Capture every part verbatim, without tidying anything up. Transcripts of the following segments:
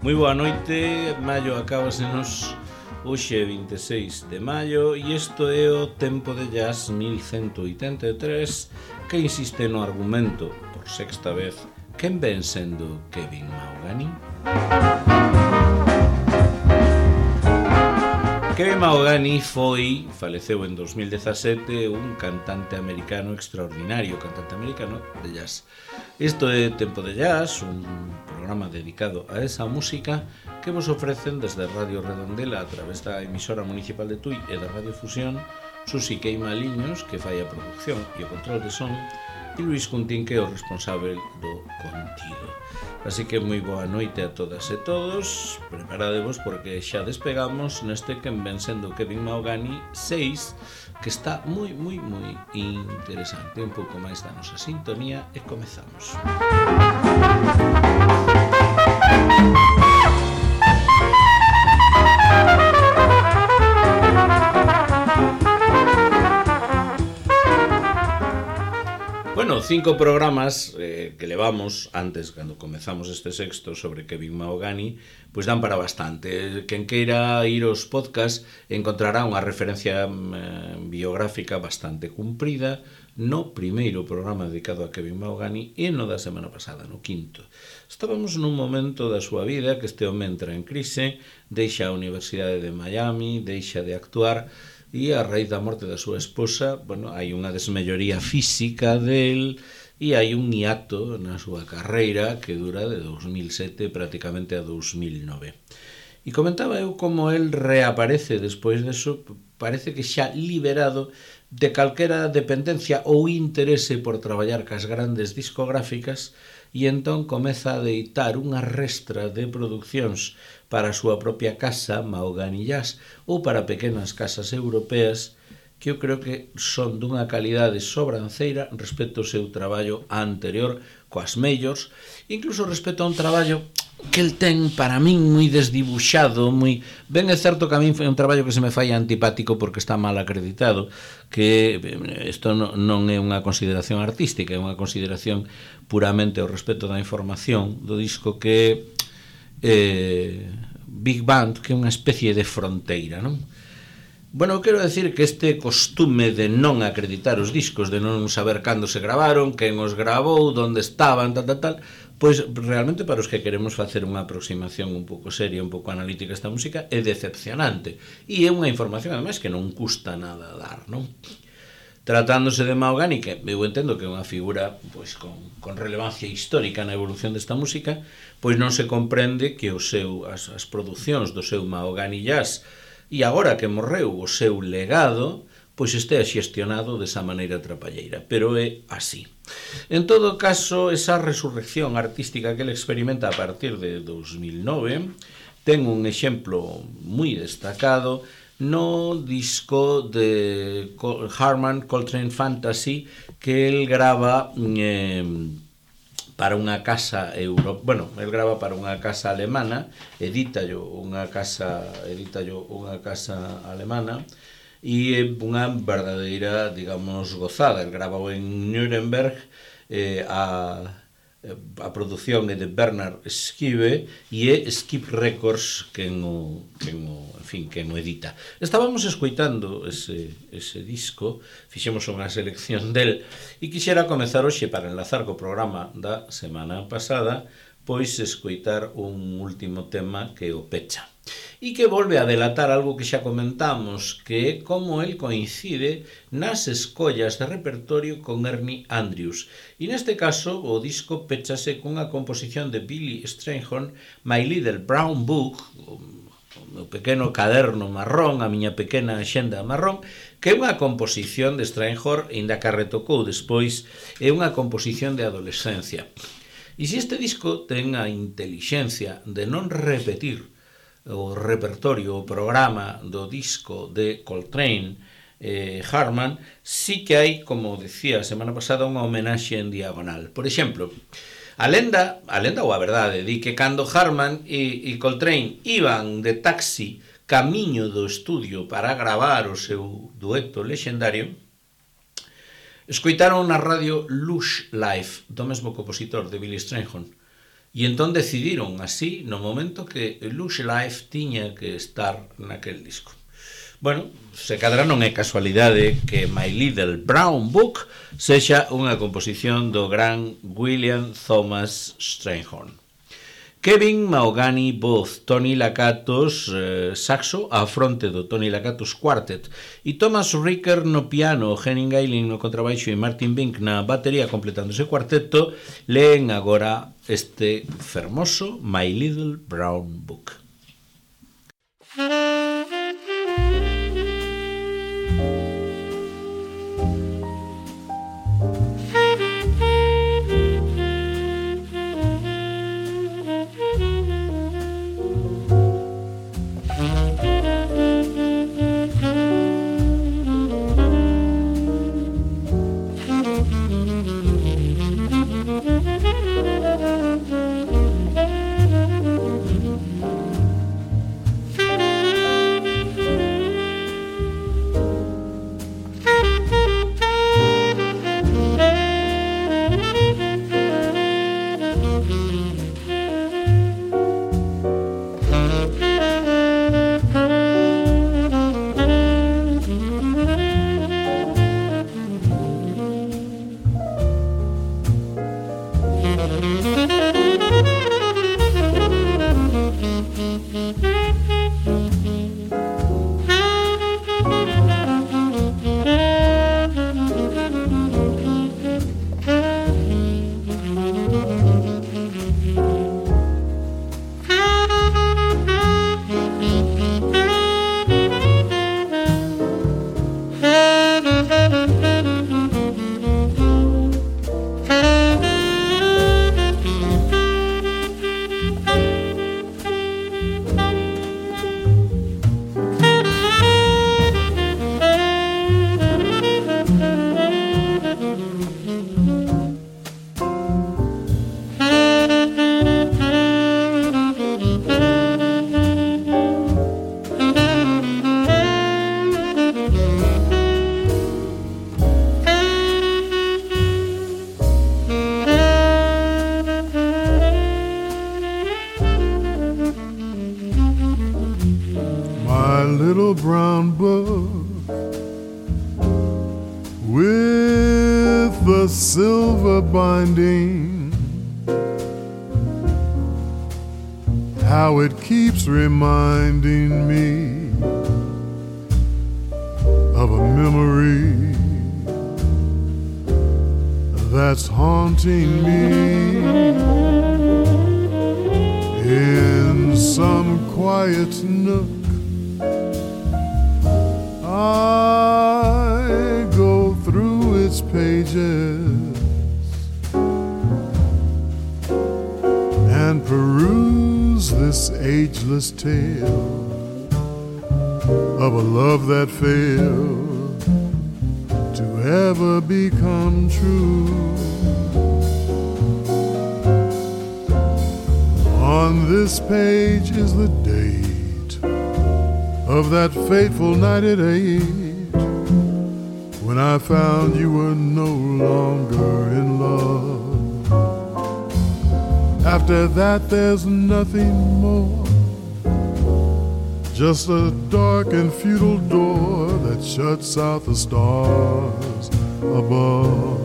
Moi boa noite, maio acábasenos hoxe vinte e seis de maio e isto é o Tempo de Jazz mil cento oitenta e tres que insiste no argumento, por sexta vez, quen ven sendo Kevin Mahogany? Kevin Mahogany foi, faleceu en dos mil dezasete, un cantante americano extraordinario, cantante americano de jazz. Isto é Tempo de Jazz, un programa dedicado a esa música que vos ofrecen desde Radio Redondela a través da emisora municipal de Tui e da Radio Fusión, Susi Queimaliños, que fai a producción e o control de son, e Luis Cuntín, que é o responsável do contido. Así que moi boa noite a todas e todos, preparadevos porque xa despegamos neste que ven sendo Kevin Mahogany seis, que está moi, moi, moi interesante. Un pouco máis da nosa sintonía e comezamos. Bueno, cinco programas eh, que levamos antes, cando comezamos este sexto sobre Kevin Mahogany, pois dan para bastante. Quen queira ir aos podcast encontrará unha referencia eh, biográfica bastante cumprida no primeiro programa dedicado a Kevin Mahogany e no da semana pasada, no quinto. Estábamos nun momento da súa vida que este home entra en crise, deixa a Universidade de Miami, deixa de actuar, e a raíz da morte da súa esposa, bueno, hai unha desmelloría física del e hai un hiato na súa carreira que dura de dos mil sete prácticamente a dos mil nove. E comentaba eu como el reaparece despois deso, parece que xa liberado de calquera dependencia ou interese por traballar cas grandes discográficas, e entón comeza a deitar unha restra de produccións para a súa propia casa, Mahogany Jazz, ou para pequenas casas europeas, que eu creo que son dunha calidade sobranceira respecto ao seu traballo anterior coas majors, incluso respecto a un traballo que el ten para min moi desdibuxado, moi ben é certo que a min foi un traballo que se me fai antipático porque está mal acreditado, que isto non é unha consideración artística, é unha consideración puramente ao respecto da información do disco que eh, Big Band, que é unha especie de fronteira, non? Bueno, quero decir que este costume de non acreditar os discos, de non saber cando se gravaron, quen os gravou, onde estaban, tal, tal, tal, pois realmente para os que queremos facer unha aproximación un pouco seria, un pouco analítica a esta música, é decepcionante. E é unha información, ademais, que non custa nada dar, non? Tratándose de Mahogany, que eu entendo que é unha figura pois con, con relevancia histórica na evolución desta música, pois non se comprende que o seu, as, as producións do seu Mahogany Jazz e agora que morreu o seu legado, pois estea xestionado desa maneira trapalleira, pero é así. En todo caso, esa resurrección artística que ele experimenta a partir de dos mil nove ten un exemplo moi destacado no disco de Harman Coltrane Fantasy que el grava eh, para unha casa euro, bueno, el grava para unha casa alemana, edítallo unha casa, edítallo unha casa alemana e é unha verdadeira, digamos, gozada. El grava en Nuremberg, eh, a a produción é de Bernard Skive e é Skip Records quen o, quen o, en fin, quen o edita. Estábamos escoitando ese, ese disco, fixemos unha selección del e quixera comezar hoxe para enlazar co programa da semana pasada, pois escoitar un último tema que o pecha e que volve a delatar algo que xa comentamos, que é como el coincide nas escollas de repertorio con Ernie Andrews. E neste caso, o disco pechase cunha composición de Billy Strayhorn, My Little Brown Book, o meu pequeno caderno marrón, a miña pequena axenda marrón, que é unha composición de Strayhorn, ainda que a retocou despois, é unha composición de adolescencia. E se este disco ten a intelixencia de non repetir o repertorio, o programa do disco de Coltrane eh, Harman, sí que hai, como decía a semana pasada, unha homenaxe en diagonal. Por exemplo, a lenda, a lenda ou a verdade, di que cando Harman e, e Coltrane iban de taxi camiño do estudio para gravar o seu dueto lexendario, escoitaron na radio Lush Life, do mesmo compositor de Billy Strayhorn, E entón decidiron así no momento que Lush Life tiña que estar naquel disco. Bueno, se cadra non é casualidade que My Little Brown Book sexa unha composición do gran William Thomas Strayhorn. Kevin Mahogany, voz, Tony Lakatos, eh, saxo, á fronte do Tony Lakatos Quartet, e Thomas Ricker no piano, Henning Eiling no contrabaixo e Martin Bink na batería completando ese cuarteto, leen agora este fermoso My Little Brown Book. Silver binding, how it keeps reminding me of a memory that's haunting me in some quiet nook. I go through its pages and peruse this ageless tale of a love that failed to ever become true. On this page is the date of that fateful night at eight, when I found you were no longer in love. After that there's nothing more, just a dark and futile door that shuts out the stars above.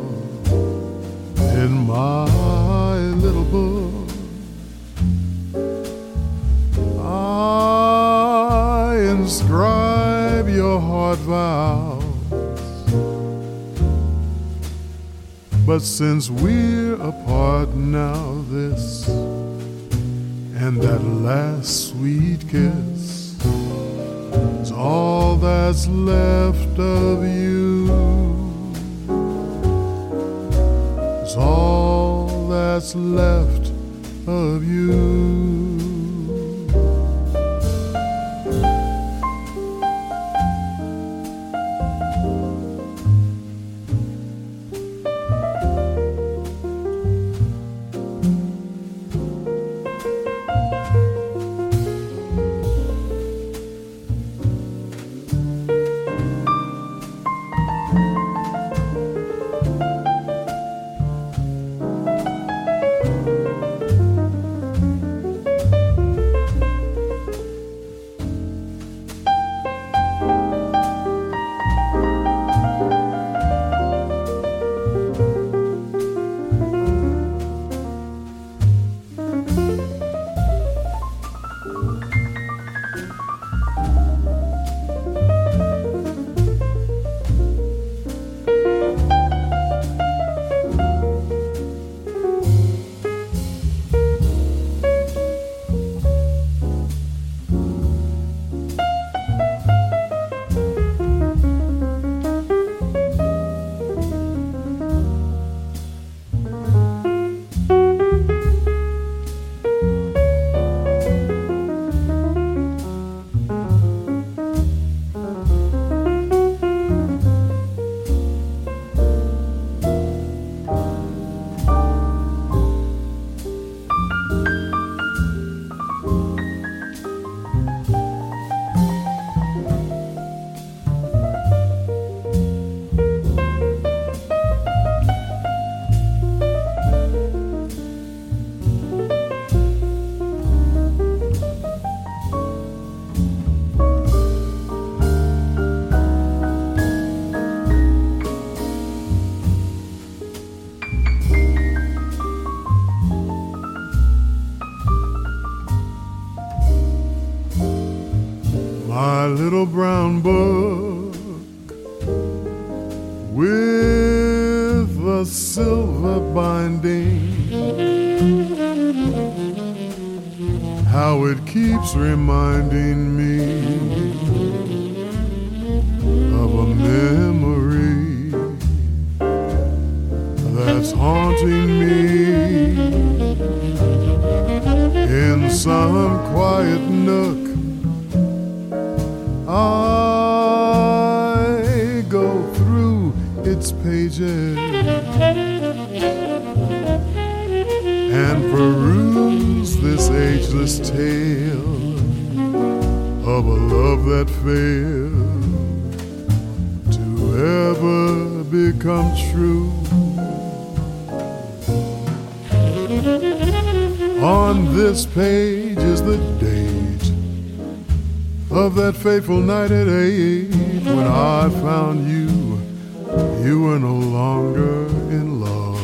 In my little book, I inscribe your heart vows. But since we're apart now, this and that last sweet kiss is all that's left of you. It's all that's left of you. my little brown book with a silver binding, how it keeps reminding me of a memory that's haunting me in some quiet nook. I go through its pages and peruse this ageless tale of a love that failed to ever become true. On this page is the date of that fateful night at eight when I found you. You were no longer in love,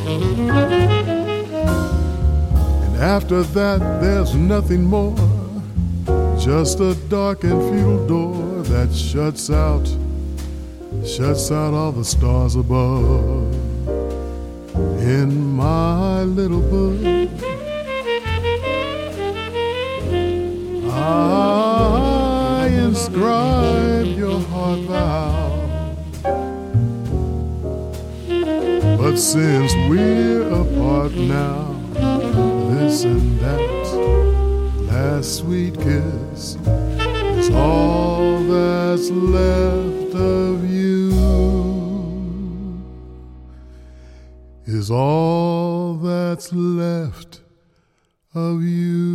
and after that there's nothing more, just a dark and futile door that shuts out, shuts out all the stars above. In my little book, I inscribe your heart vow. But since we're apart now, this and that last sweet kiss is all that's left of you, is all that's left of you.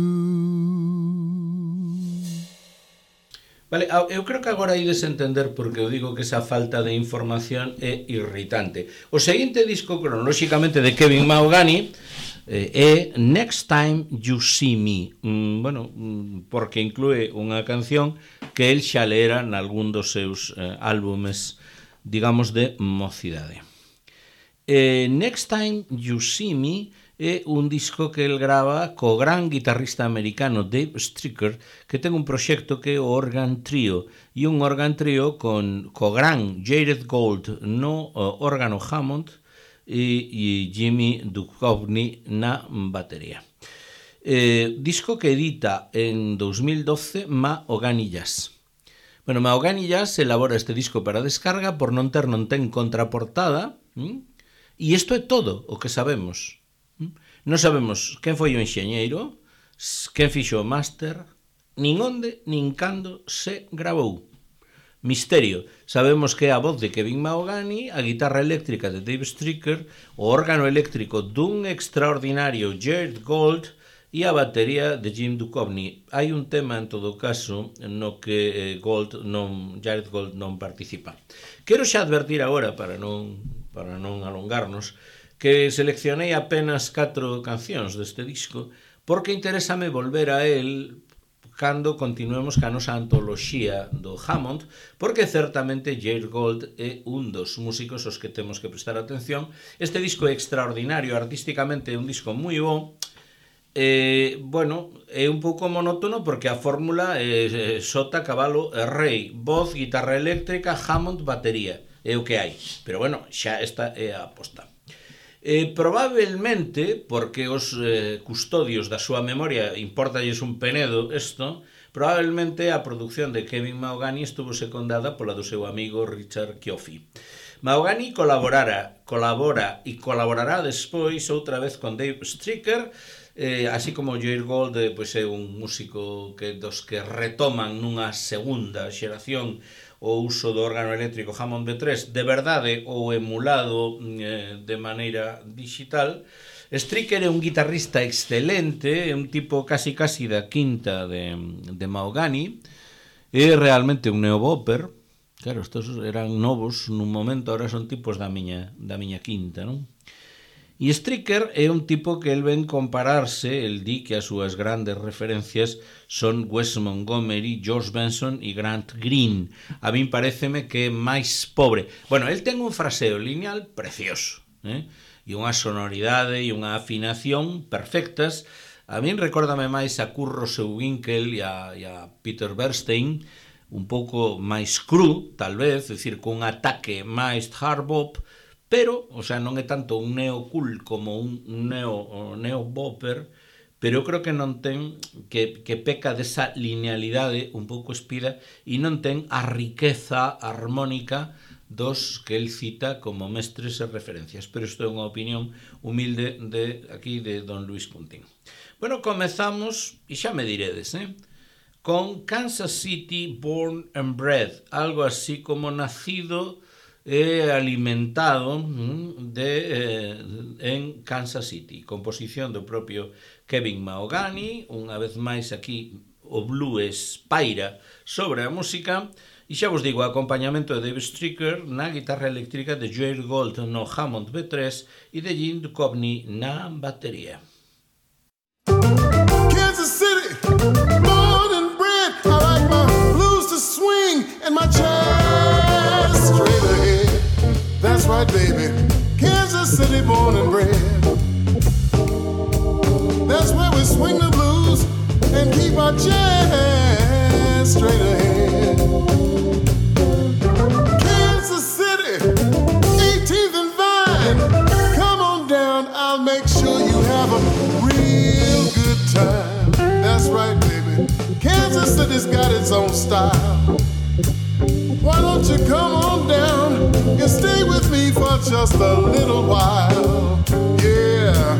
Vale, eu creo que agora ides entender porque eu digo que esa falta de información é irritante. O seguinte disco cronolóxicamente de Kevin Mahogany eh, é Next Time You See Me, mm, bueno, mm, porque inclúe unha canción que el xa lera nalgún dos seus eh, álbumes, digamos, de mocidade. Eh, Next Time You See Me é un disco que el grava co gran guitarrista americano Dave Stryker, que ten un proxecto que é o Organ Trio, e un Organ Trio con co gran Jared Gold no uh, órgano Hammond e, e Jimmy Duchovny na batería. Eh, disco que edita en dos mil doce Mahogany Jazz. Bueno, Mahogany Jazz elabora este disco para descarga por non ter non ten contraportada, ¿m? E isto é todo o que sabemos. Non sabemos quen foi o enxeñeiro, quen fixo o máster, nin onde, nin cando se gravou. Misterio. Sabemos que é a voz de Kevin Mahogany, a guitarra eléctrica de Dave Stryker, o órgano eléctrico dun extraordinario Jared Gold e a batería de Jim Duchovny. Hai un tema, en todo caso, no que Gold non, Jared Gold non participa. Quero xa advertir agora, para non, para non alongarnos, que seleccionei apenas catro cancións deste disco, porque interésame volver a él cando continuemos ca nosa antoloxía do Hammond, porque certamente Jared Gold é un dos músicos aos que temos que prestar atención. Este disco é extraordinario, artísticamente é un disco moi bo. Eh, bueno, é un pouco monótono porque a fórmula é sota, cabalo e rei, voz, guitarra eléctrica, Hammond, batería, é o que hai. Pero bueno, xa esta é a aposta. Eh, probablemente, porque os eh, custodios da súa memoria importalles un penedo isto, probablemente a produción de Kevin Mahogany estuvo secundada pola do seu amigo Richard Cioffi. Mahogany colaborara, colabora e colaborará despois outra vez con Dave Stryker, eh, así como Jared Gold eh, pois é un músico que dos que retoman nunha segunda xeración o uso do órgano eléctrico Hammond B tres de verdade ou emulado eh, de maneira digital. Stryker é un guitarrista excelente, é un tipo casi casi da quinta de, de Mahogany, é realmente un neobopper. Claro, estos eran novos nun momento, ahora son tipos da miña, da miña quinta, non? E Stryker é un tipo que el ven compararse, el di que as súas grandes referencias son Wes Montgomery, George Benson e Grant Green. A min pareceme que é máis pobre. Bueno, el ten un fraseo lineal precioso, eh? E unha sonoridade e unha afinación perfectas. A min recórdame máis a Kurt Russell-Winkle e a, e a Peter Bernstein, un pouco máis cru, tal vez, é dicir, cun ataque máis hard bop, pero, o sea, non é tanto un neo-cool como un neo, neo-bopper, pero eu creo que non ten, que, que peca desa linealidade un pouco espida e non ten a riqueza armónica dos que el cita como mestres e referencias, pero isto é unha opinión humilde de aquí de don Luis Puntín. Bueno, comezamos, e xa me diredes, eh? con Kansas City Born and Bred, algo así como nacido e alimentado de, eh, en Kansas City, composición do propio Kevin Mahogany, unha vez máis aquí o blues paira sobre a música. E xa vos digo, acompañamento de Dave Stricker na guitarra eléctrica, de Joel Gold no Hammond B tres e de Jim Duchovny na batería. Kansas City, born and bred. I like my blues to swing and my chest straight ahead. That's right, baby. Kansas City, born and bred. That's where we swing the blues and keep our chest straight ahead. Kansas City, eighteenth and Vine. Come on down, I'll make sure you have a real good time. That's right, baby. Kansas City's got its own style. Why don't you come on down and stay with me for just a little while? Yeah.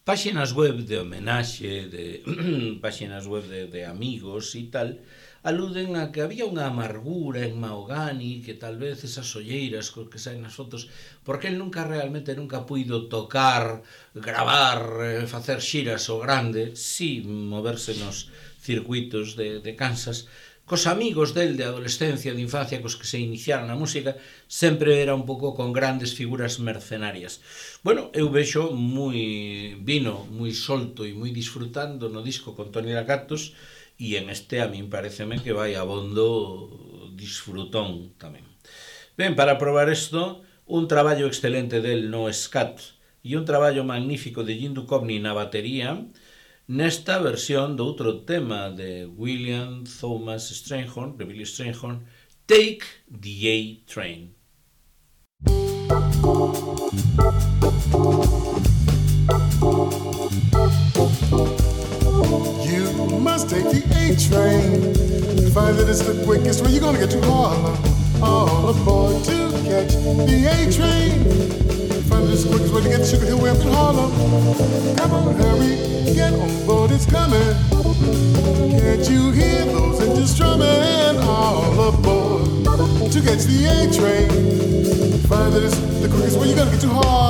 páxinas web de homenaxe, de páxinas web de, de amigos e tal, aluden a que había unha amargura en Mahogany, que tal vez esas olleiras cos que saen nas fotos, porque el nunca realmente nunca puido tocar, gravar, eh, facer xiras o grande, sí, moverse nos circuitos de, de Kansas, cos amigos del de adolescencia, de infancia, cos que se iniciaron na música, sempre era un pouco con grandes figuras mercenarias. Bueno, eu vexo moi vino, moi solto e moi disfrutando no disco con Tony Lacactus, e en este a min pareceme que vai abondo disfrutón tamén. Ben, para probar isto, un traballo excelente del no Scat e un traballo magnífico de Jim Duchovny na batería, nesta versión do outro tema de William Thomas Strayhorn, de Billy Strayhorn, Take the A-Train. You must take the A-Train. Find that it's the quickest way you're gonna get to Harlem. All aboard to catch the A-Train. Find that it's the quickest way to get to Sugar Hill Way up in Harlem. Come on, hurry, get on board, it's coming. Can't you hear those engines strumming? All aboard to catch the A-Train. Find that it's the quickest way you're gonna get to Harlem.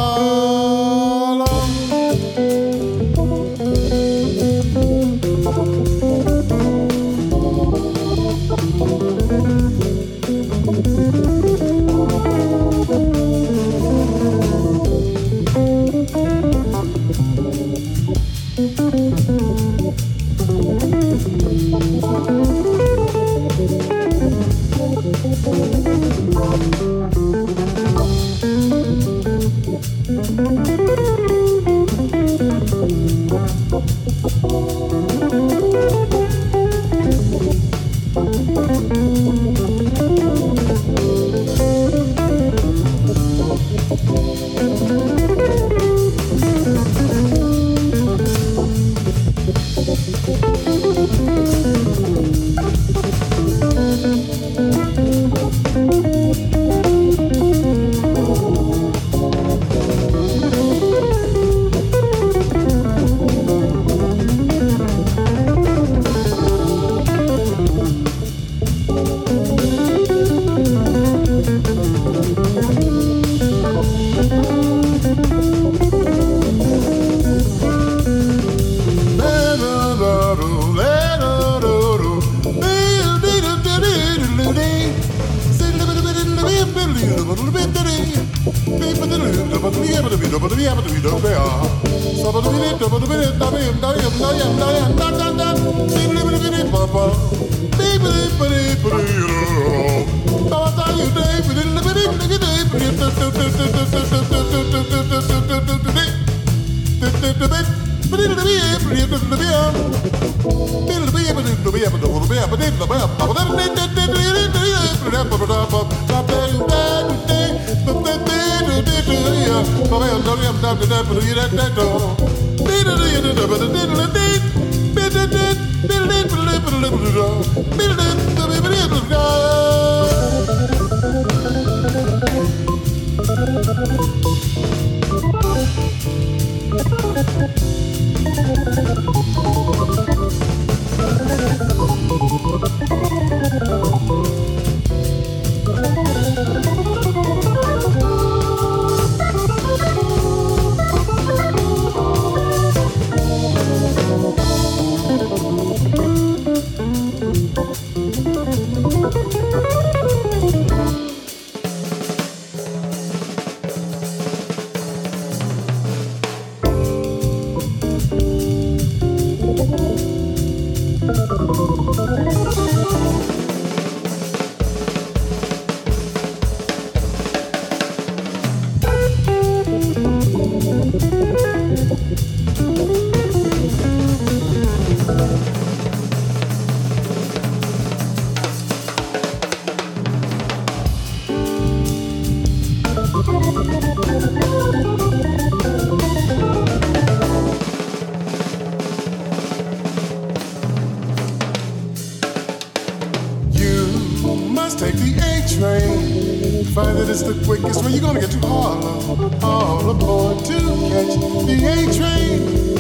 Take the A-Train. Find that it's the quickest way you're gonna get to Harlem. All aboard to catch the A-Train.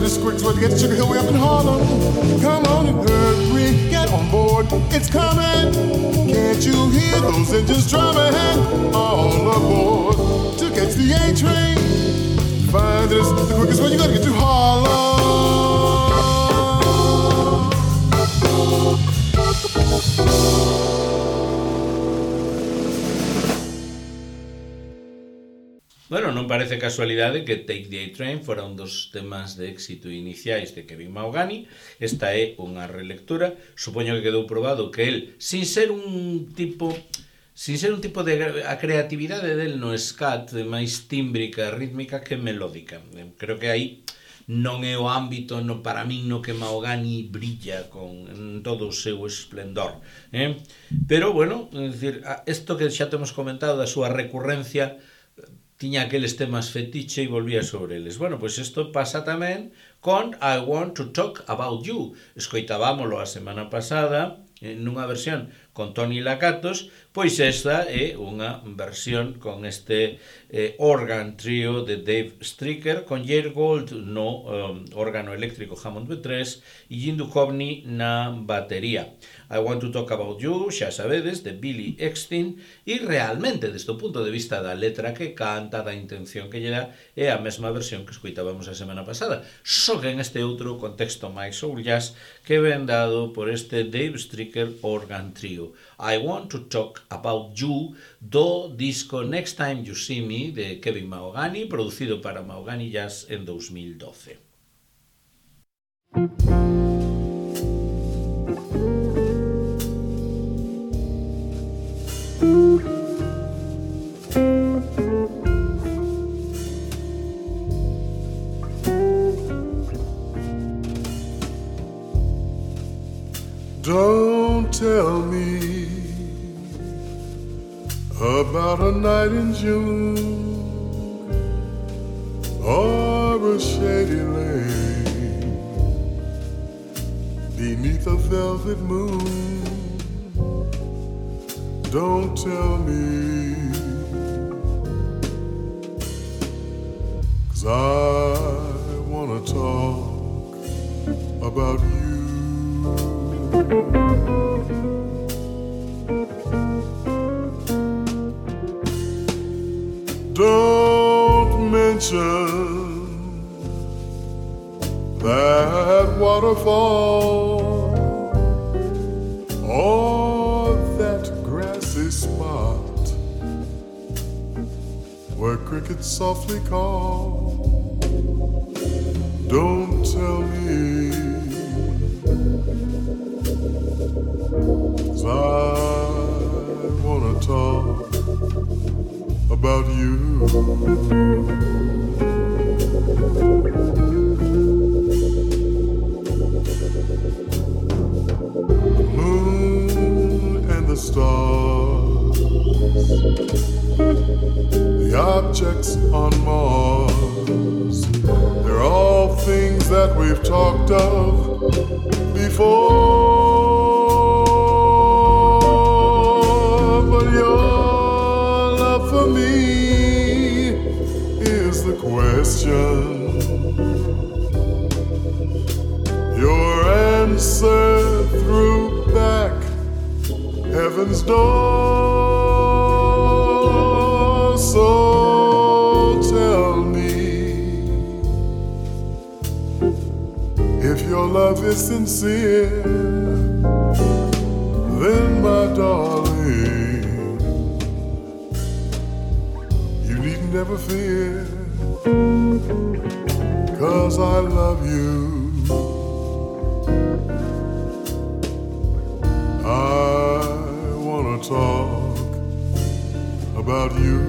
just quick so to get to Sugar Hill way up in Harlem. Come on and hurry, get on board, it's coming. Can't you hear those engines drumming? All aboard to catch the A train. Find this the quickest way you gotta get to Harlem. Bueno, non parece casualidade que Take the A-Train fora un dos temas de éxito iniciais de Kevin Mahogany. Esta é unha relectura. Supoño que quedou probado que el, sin ser un tipo... Sin ser un tipo de... A creatividade del no scat de máis tímbrica, rítmica que melódica. Creo que aí non é o ámbito no, para min no que Mahogany brilla con en todo o seu esplendor. Eh? Pero, bueno, é dicir, isto que xa temos comentado da súa recurrencia... tiña aqueles temas fetiche e volvía sobre eles. Bueno, pois isto pasa tamén con I Want to Talk About You. Escoitábamolo a semana pasada nunha versión con Tony Lakatos, pois esta é unha versión con este eh, organ trio de Dave Stricker, con Jair Gold no um, órgano eléctrico Hammond B tres e Jim Duchovny na batería. I Want to Talk About You, xa sabedes, de Billy Eckstine, e realmente, desde o punto de vista da letra que canta, da intención que lle dá, é a mesma versión que escoitábamos a semana pasada, só que en este outro contexto máis soul jazz que ven dado por este Dave Stricker organ trio. I Want to Talk About You, do disco Next Time You See Me, de Kevin Mahogany, producido para Mahogany Jazz en dos mil doce. Don't tell me about a night in June or a shady lane beneath a velvet moon. Don't tell me, 'cause I wanna talk about you. Don't mention that waterfall or that grassy spot where crickets softly call. Don't tell me, 'cause I wanna talk about you. The moon and the stars, the objects on Mars, they're all things that we've talked of before. But your love for me is the question. Your answer threw back heaven's door. So tell me, if your love is sincere, then my darling, you needn't ever fear, 'cause I love you. I wanna talk about you.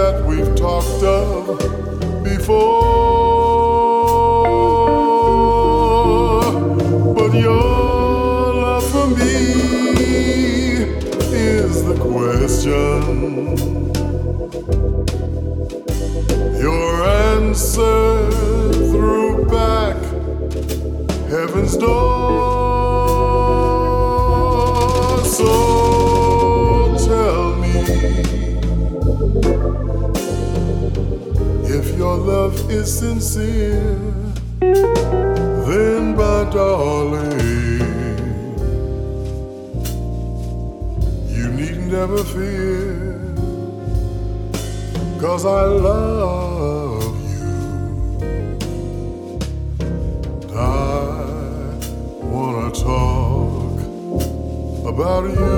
that we've talked of before. But your love for me is the question. Your answer threw back heaven's door. So tell me, if your love is sincere, then my darling, you need never fear, 'cause I love you. I wanna talk about you.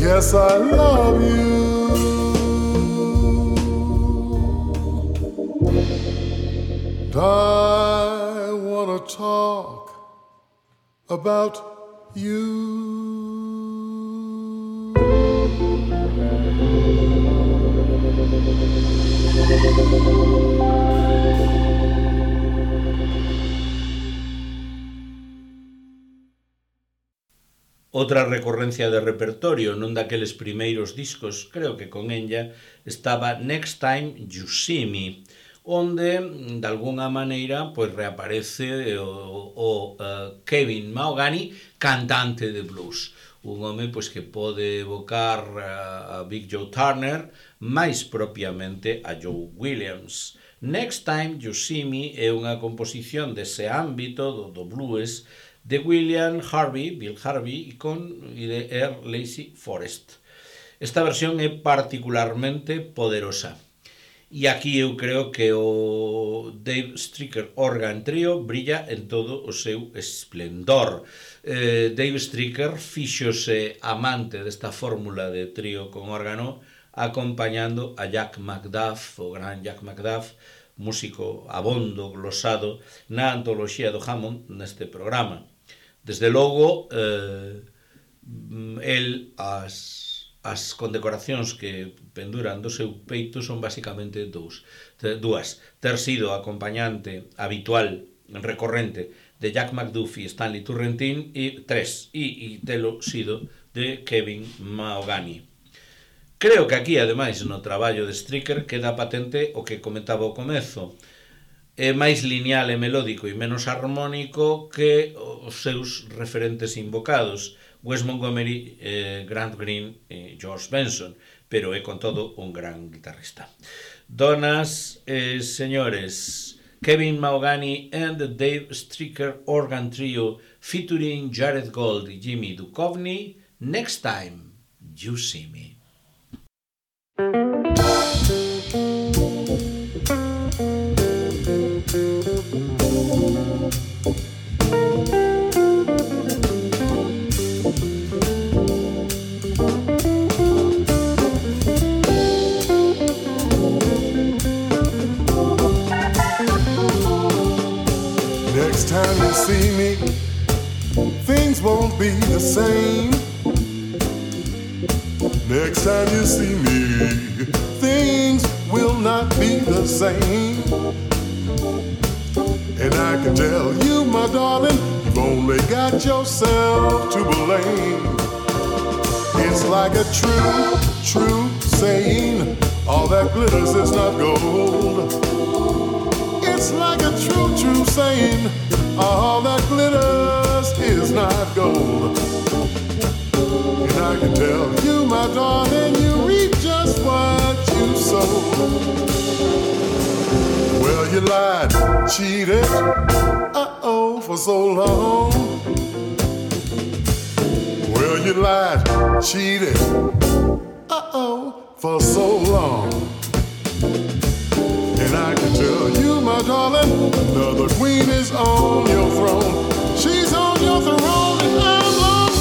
Yes, I love you. I wanna talk about you. Outra recorrencia de repertorio nun daqueles primeiros discos, creo que con ella, estaba Next Time You See Me, onde, de alguna maneira, pois reaparece o, o uh, Kevin Mahogany, cantante de blues. Un home pois que pode evocar uh, a Big Joe Turner, máis propiamente a Joe Williams. Next Time You See Me é unha composición dese ámbito do, do blues de William Harvey, Bill Harvey, e con e de Earl Lacy Forrest. Esta versión é particularmente poderosa. E aquí eu creo que o Dave Stricker Organ Trio brilla en todo o seu esplendor. Eh, Dave Stricker fíxose amante desta fórmula de trío con órgano, acompañando a Jack McDuff, o gran Jack McDuff, músico abondo, glosado, na antoloxía do Hammond neste programa. Desde logo, eh, el as, as condecoracións que penduran do seu peito son basicamente dous, dúas. Ter sido acompañante habitual, recorrente, de Jack McDuff e Stanley Turrentine, e tres, e, e telo sido de Kevin Mahogany. Creo que aquí, ademais, no traballo de Stricker queda patente o que comentaba ao comezo. É máis lineal e melódico e menos armónico que os seus referentes invocados, Wes Montgomery, eh, Grant Green e George Benson, pero é con todo un gran guitarrista. Donas e señores, Kevin Mahogany and the Dave Stricker Organ Trio featuring Jared Gold e Jimmy Duchovny, Next Time You See Me. Next time you see me, things won't be the same. Next time you see me, things will not be the same. And I can tell you, my darling, you've only got yourself to blame. It's like a true, true saying, all that glitters is not gold. It's like a true, true saying, all that glitters is not gold. And I can tell you, my darling, you reap just what you sow. Well, you lied, cheated, uh-oh, for so long. Well, you lied, cheated, uh-oh, for so long. And I can tell you, my darling, another queen is on your throne. She's on your throne and I'm long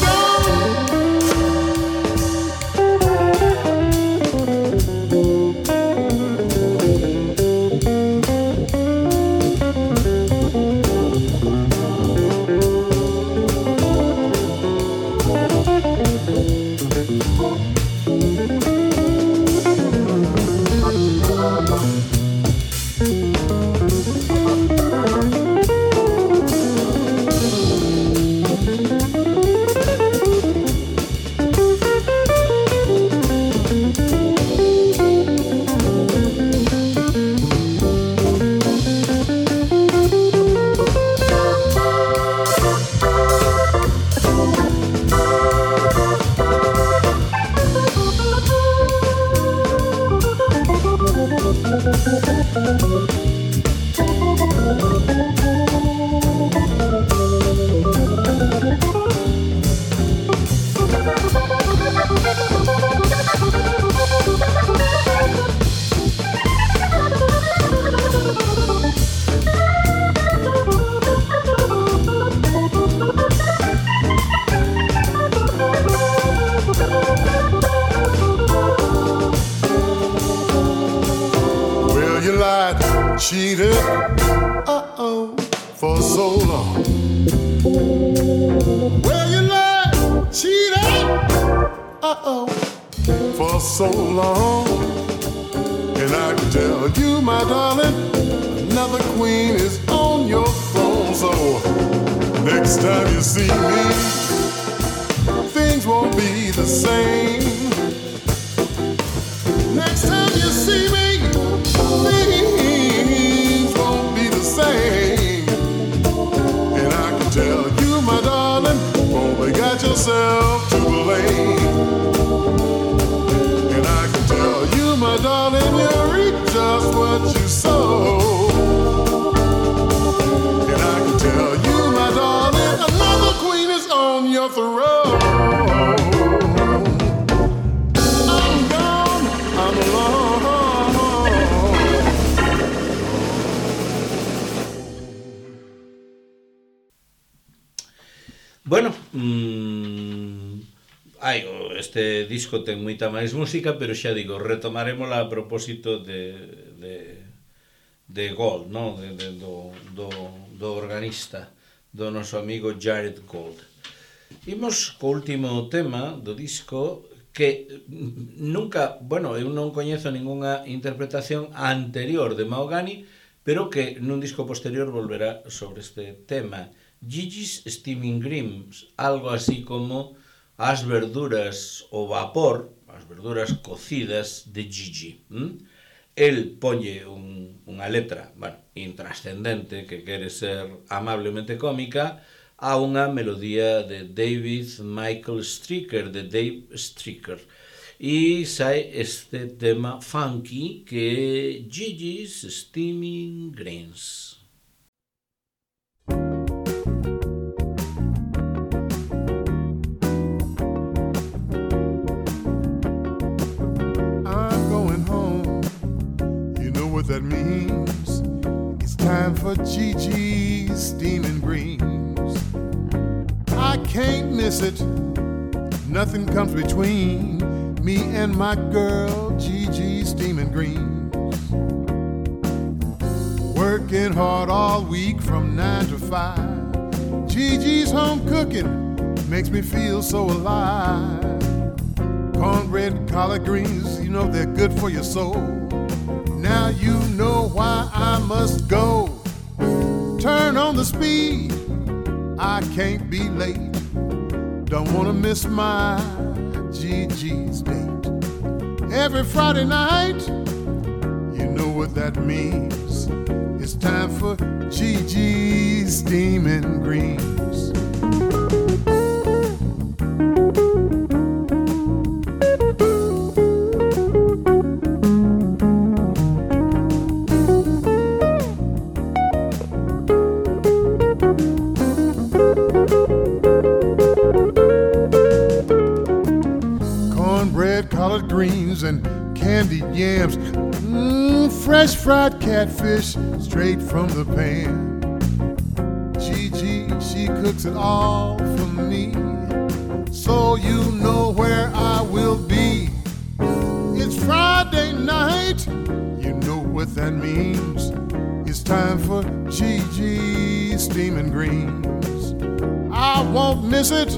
long. Well, you lied, cheated, uh-oh, for so long. And I can tell you, my darling, another queen is on your throne. So next time you see me, things won't be the same. Next time you see me, things won't be the same. And I can tell you, my darling, only got yourself to blame. And I can tell you, my darling, you reap just what you sow. And I can tell you, my darling, another queen is on your throne. I'm gone, I'm alone. Bueno, mmm, ai, este disco ten moita máis música, pero xa digo, retomarémola a propósito de, de, de Gold, no? de, de, do, do, do organista, do noso amigo Jared Gold. Imos co último tema do disco que nunca, bueno, eu non coñezo ningunha interpretación anterior de Mahogany, pero que nun disco posterior volverá sobre este tema. Gigi's Steaming Greens, algo así como as verduras ao vapor, as verduras cocidas de Gigi. ¿Mm? El ponlle un, unha letra, bueno, intrascendente, que quere ser amablemente cómica, a unha melodía de David Michael Stricker, de Dave Stricker. E sae este tema funky que é Gigi's Steaming Greens. What that means, it's time for Gigi's Steaming Greens. I can't miss it, nothing comes between me and my girl Gigi's Steaming Greens. Working hard all week from nine to five, Gigi's home cooking makes me feel so alive. Cornbread, collard greens, you know they're good for your soul. Now you know why I must go. Turn on the speed, I can't be late. Don't wanna miss my Gigi's date. Every Friday night, you know what that means. It's time for Gigi's Steaming Greens. Greens and candied yams, mm, fresh fried catfish straight from the pan. Gigi, she cooks it all for me, so you know where I will be. It's Friday night, you know what that means. It's time for Gigi's Steaming Greens. I won't miss it,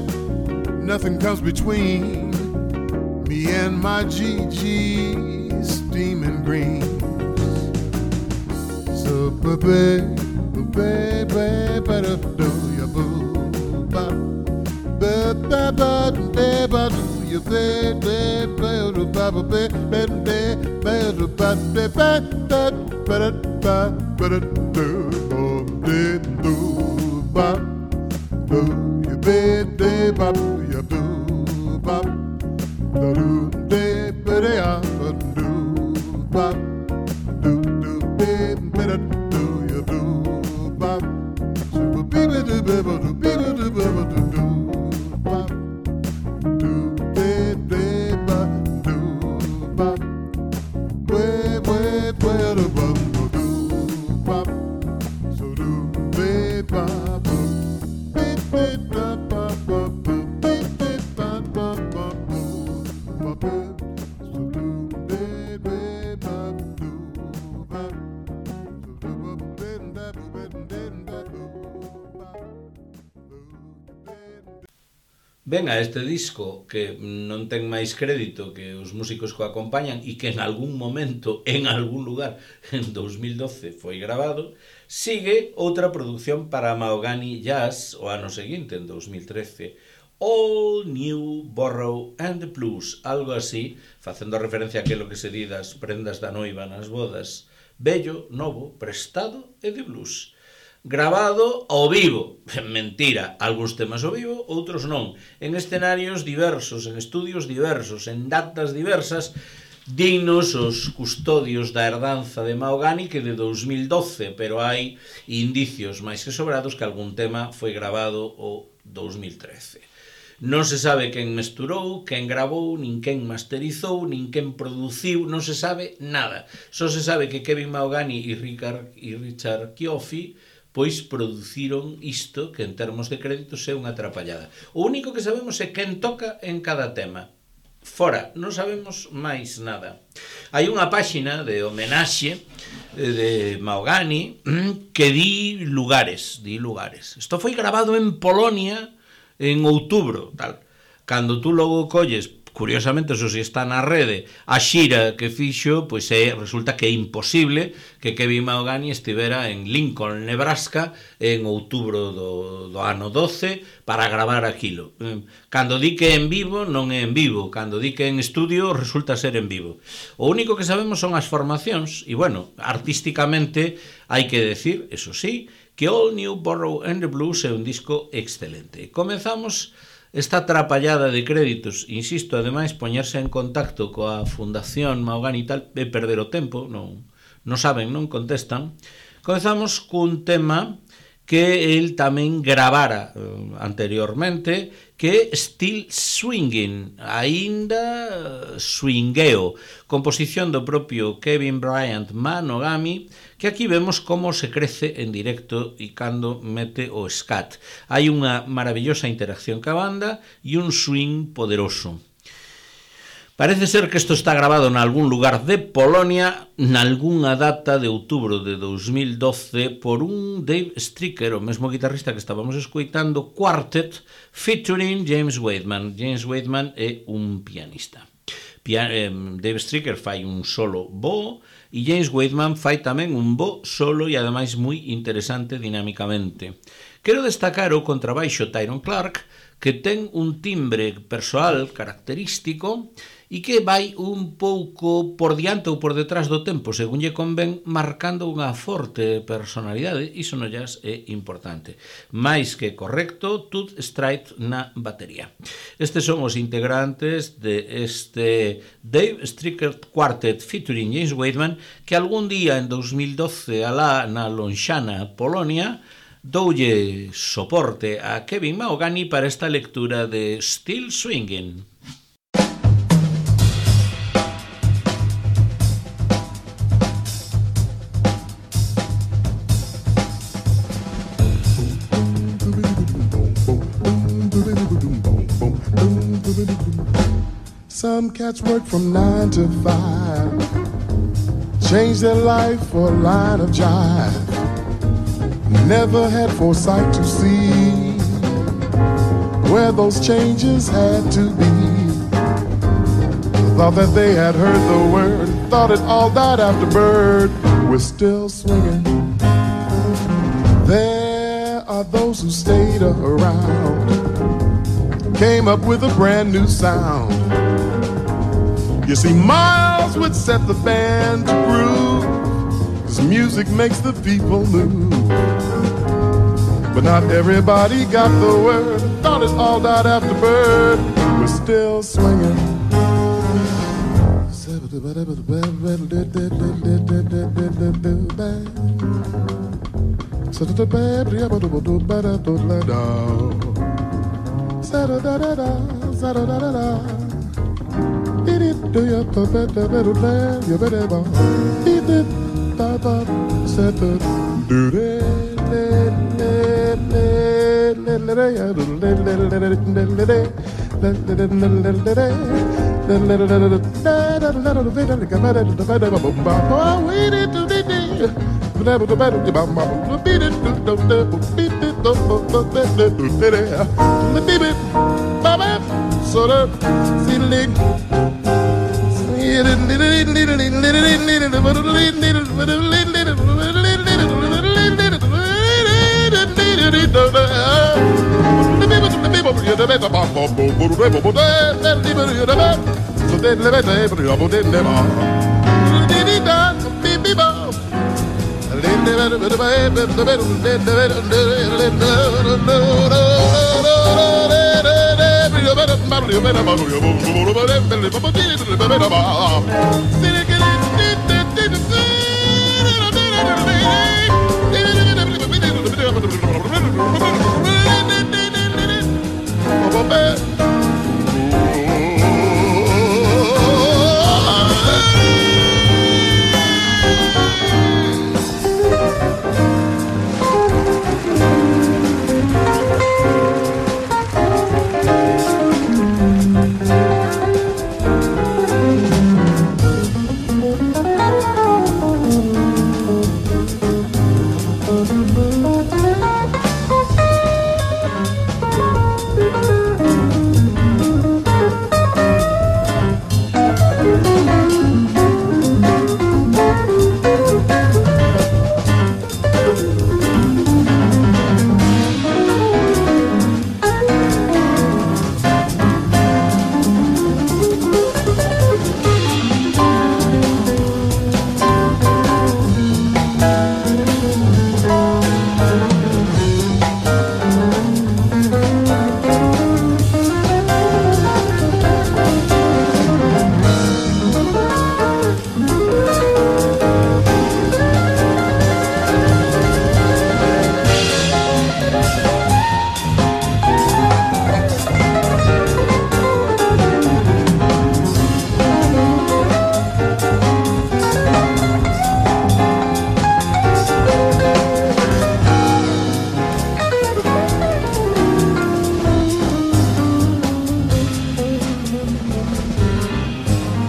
nothing comes between me and my Gigi's Steaming Greens. So baby, baby, baby, do ya boo, ba, ba, ba, ba, ba, ba, do ya baby, baby, ba, ba, ba, ba, ba, ba, ba, ba, ba, ba, ba, ba, do, do, do, ba, do ya baby, ba, do ya boo, ba. Do do ba da do ba do do ba da do ya do ba so ba ba do ba do ba do ba do ba do ba ba do ba we we we do ba do ba so do ba ba ba ba ba ba ba. ven a este disco que non ten máis crédito que os músicos que o acompañan e que en algún momento, en algún lugar, en dos mil doce foi grabado, sigue outra produción para Mahogany Jazz o ano seguinte, en dos mil trece, All New Borrow and the Blues, algo así, facendo referencia a aquilo que se di das prendas da noiva nas bodas, bello, novo, prestado e de blues. Grabado ao vivo, mentira, algúns temas ao vivo, outros non, en escenarios diversos, en estudios diversos, en datas diversas, dignos os custodios da herdanza de Mahogany que de dos mil doce, pero hai indicios máis que sobrados que algún tema foi grabado o dos mil trece. Non se sabe quen mesturou, quen gravou, nin quen masterizou, nin quen produciu, non se sabe nada. Só se sabe que Kevin Mahogany e Richard, e Richard Cioffi pois produciron isto que en termos de créditos é unha atrapallada. O único que sabemos é quen toca en cada tema. Fora, non sabemos máis nada. Hai unha páxina de homenaxe de Mahogany que di lugares, di lugares. Isto foi grabado en Polonia en outubro, tal. Cando tú logo colles, curiosamente, eso si está na rede, a xira que fixo, pois é, resulta que é imposible que Kevin Mahogany estivera en Lincoln, Nebraska, en outubro do, do ano doce, para gravar aquilo. Cando di que é en vivo, non é en vivo. Cando di que é en estudio, resulta ser en vivo. O único que sabemos son as formacións, e, bueno, artísticamente, hai que decir, eso sí, que All New Borrow and the Blues é un disco excelente. Comezamos esta atrapallada de créditos, insisto, ademais, poñerse en contacto coa Fundación Mahogany e tal, é perder o tempo, non, non saben, non contestan. Comezamos cun tema que el tamén gravara eh, anteriormente, que é Still Swingin', aínda swingueo, composición do propio Kevin Bryant Mahogany, que aquí vemos como se crece en directo e cando mete o scat. Hai unha maravillosa interacción ca banda e un swing poderoso. Parece ser que isto está grabado en algún lugar de Polonia, nalgúnha data de outubro de dos mil doce, por un Dave Stricker, o mesmo guitarrista que estábamos escoitando, Quartet, featuring James Waitman. James Waitman é un pianista. Pia eh, Dave Stricker fai un solo bo, e James Waitman fai tamén un bo solo e ademais moi interesante dinámicamente. Quero destacar o contrabaixo Tyrone Clark, que ten un timbre persoal característico e que vai un pouco por diante ou por detrás do tempo, según lle convén, marcando unha forte personalidade. Iso no jazz é importante. Mais que correcto, Tooth Straight na batería. Estes son os integrantes de este Dave Stricker Quartet featuring James Waitman, que algún día en dos mil doce alá na lonxana Polonia doulle soporte a Kevin Mahogany para esta lectura de Still Swingin'. Some cats work from nine to five, change their life for a line of jive. Never had foresight to see where those changes had to be. Thought that they had heard the word, thought it all died after bird. We're still swinging. There are those who stayed around, came up with a brand new sound. You see, Miles would set the band to groove, 'cause music makes the people move. But not everybody got the word, thought it all died after bird. We're still swinging.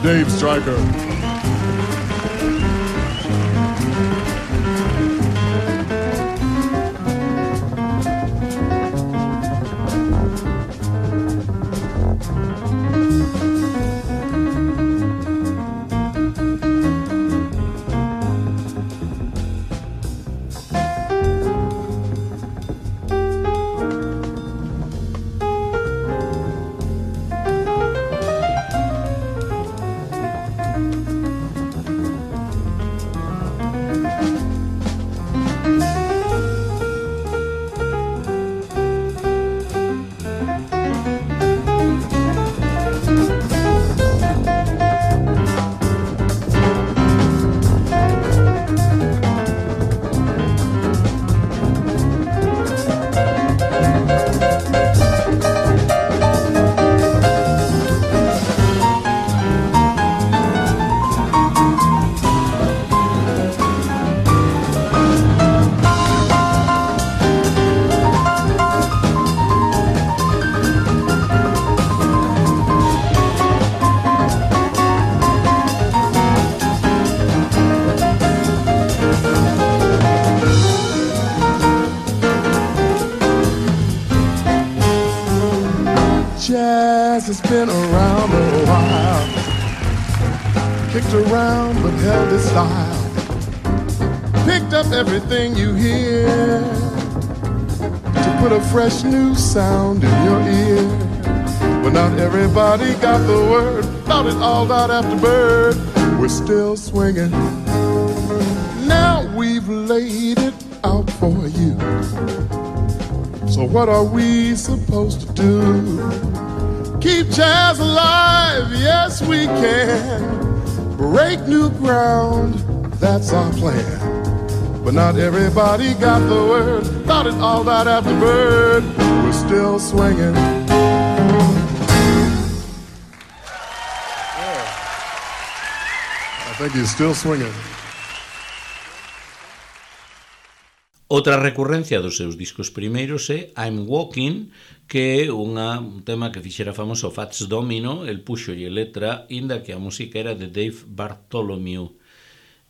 Dave Stryker. Jazz has been around a while, kicked around but held its style, picked up everything you hear to put a fresh new sound in your ear. But not everybody got the word, thought it all died after Bird. We're still swinging, now we've laid it out for you. So what are we supposed to do? Keep jazz alive, yes we can. Break new ground, that's our plan. But not everybody got the word, thought it all died after Bird. We're still swinging. Yeah. I think he's still swinging. Outra recurrencia dos seus discos primeiros é I'm Walking, que é unha, un tema que fixera famoso Fats Domino, el puxolle letra, inda que a música era de Dave Bartholomew.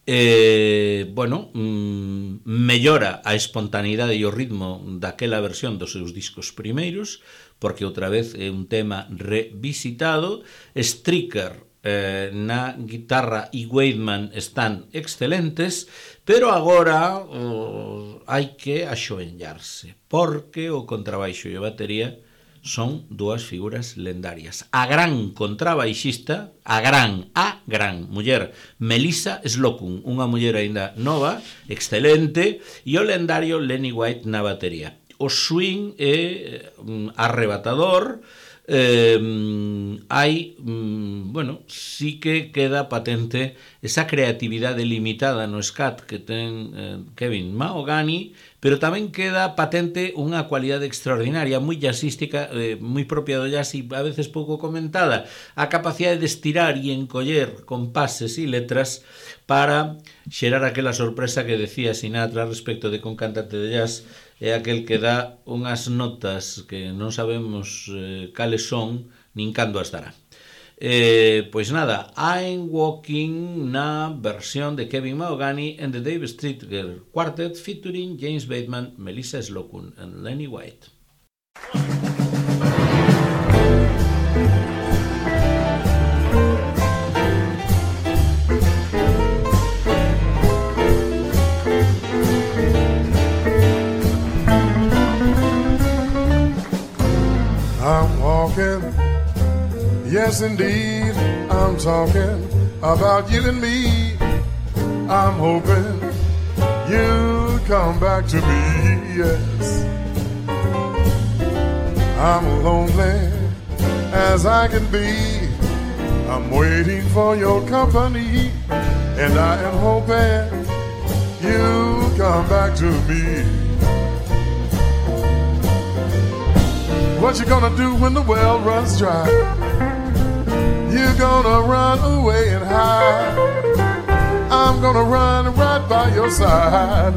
eh, bueno, mm, mellora a espontaneidade e o ritmo daquela versión dos seus discos primeiros, porque outra vez é un tema revisitado. Stricker eh, na guitarra e Wakeman están excelentes, pero agora oh, hai que axoenllarse, porque o contrabaixo e a batería son dúas figuras lendarias. A gran contrabaixista, a gran, a gran muller Melissa Slocum, unha muller aínda nova, excelente, e o lendario Lenny White na batería. O swing é um, arrebatador, eh, hai, um, bueno, sí que queda patente esa creatividade limitada no scat que ten eh, Kevin Mahogany, pero tamén queda patente unha cualidade extraordinaria, moi jazzística, eh, moi propia do jazz e a veces pouco comentada, a capacidade de estirar e encoller compases e letras para xerar aquela sorpresa que decía Sinatra respecto de que un cantante de jazz é aquel que dá unhas notas que non sabemos eh, cales son nin cando as dará. Eh, pois nada, I'm Walking na versión de Kevin Mahogany and the Dave Stricker Quartet featuring James Bateman, Melissa Slocum and Lenny White. I'm walking, yes indeed, I'm talking about you and me. I'm hoping you'll come back to me, yes. I'm lonely as I can be. I'm waiting for your company, and I am hoping you'll come back to me. What you gonna do when the well runs dry? You're gonna run away and hide. I'm gonna run right by your side.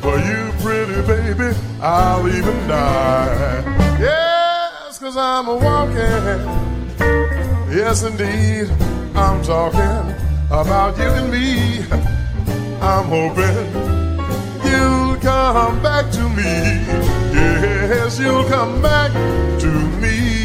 For you, pretty baby, I'll even die. Yes, 'cause I'm a-walking. Yes, indeed, I'm talking about you and me. I'm hoping you'll come back to me. Yes, you'll come back to me.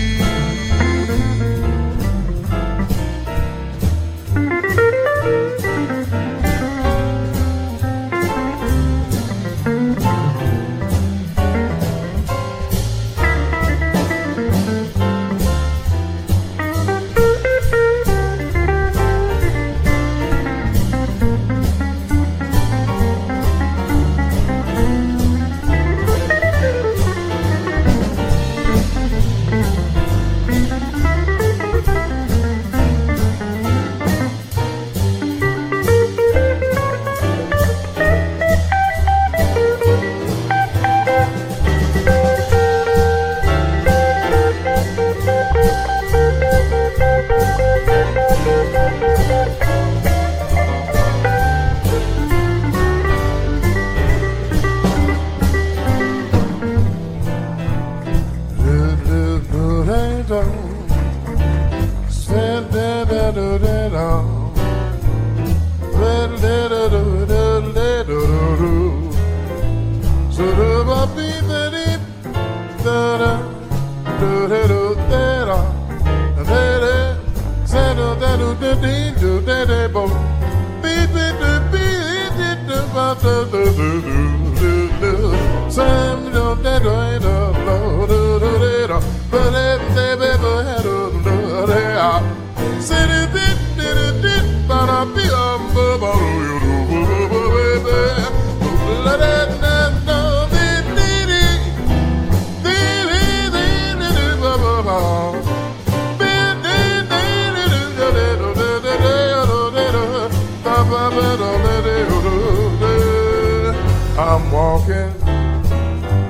I'm walking,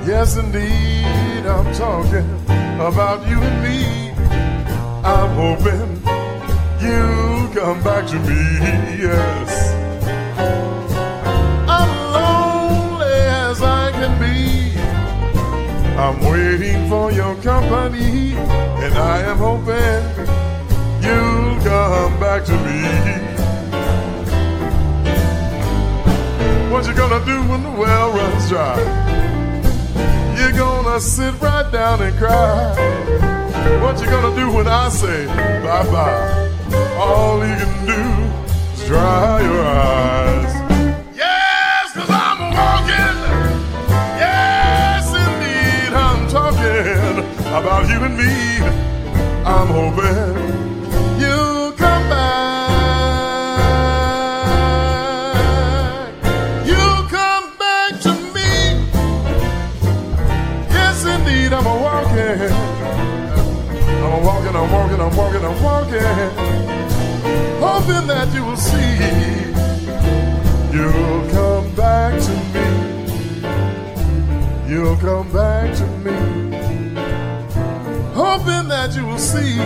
yes indeed, I'm talking about you and me. I'm hoping you'll come back to me, yes. I'm lonely as I can be. I'm waiting for your company, and I am hoping you'll come back to me. What you gonna do when the well runs dry? You're gonna sit right down and cry. What you gonna do when I say bye-bye? All you can do is dry your eyes. Yes, 'cause I'm walking. Yes, indeed, I'm talking about you and me. I'm hoping you'll come back. You'll come back to me. Yes, indeed, I'm a walking. I'm walking, I'm walking, I'm walking, I'm walking. Hoping that you will see. You'll come back to me. You'll come back to me. Hoping that you will see.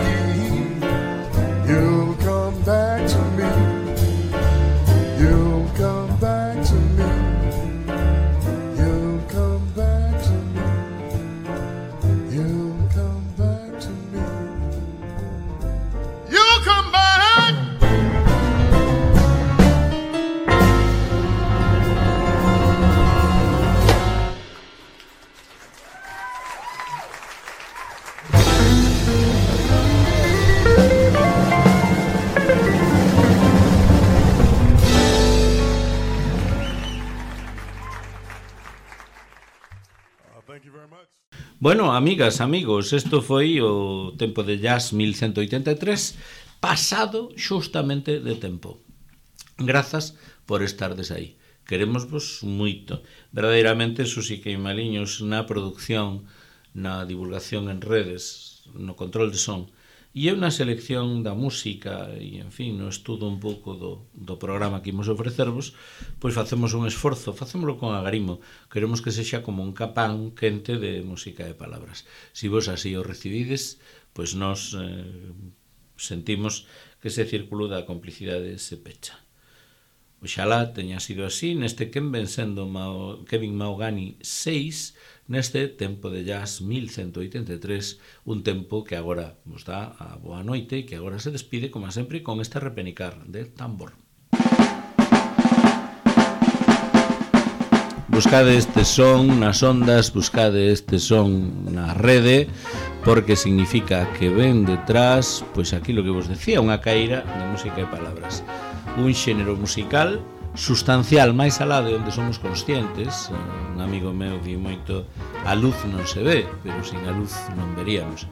You'll come back to me. You'll come back to me. You'll come back to me. You'll come back to me. You'll come back. Bueno, amigas, amigos, isto foi o tempo de jazz mil ciento oitenta e tres, pasado xustamente de tempo. Grazas por estardes aí. Queremosvos moito. Verdadeiramente, Susi Queimaliños na produción, na divulgación en redes, no control de son, e eu na selección da música e, en fin, no estudo un pouco do, do programa que imos ofrecervos, pois facemos un esforzo, facémoslo con agarimo, queremos que sexa como un capán quente de música e palabras. Si vos así o recibides, pois nos eh, sentimos que ese círculo da complicidade se pecha. Oxalá teña sido así neste Quen ven sendo Mao, Kevin Maugani seis, neste tempo de jazz mil ciento oitenta e tres, un tempo que agora vos dá a boa noite e que agora se despide, como sempre, con este repenicar de tambor. Buscade este son nas ondas, buscade este son na rede, porque significa que ven detrás, pois aquilo que vos decía, unha caíra de música e palabras. Un xénero musical sustancial máis alá de onde somos conscientes. Un amigo meu di moito: a luz non se ve, pero sin a luz non veríamos.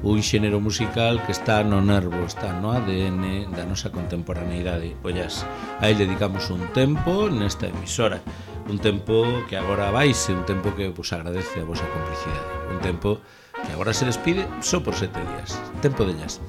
Un xénero musical que está no nervo, está no A D N da nosa contemporaneidade. Ollas, a ele dedicamos un tempo nesta emisora, un tempo que agora vaise, un tempo que vos agradece a vosa complicidade, un tempo que agora se despide só por sete días. Tempo de jazz.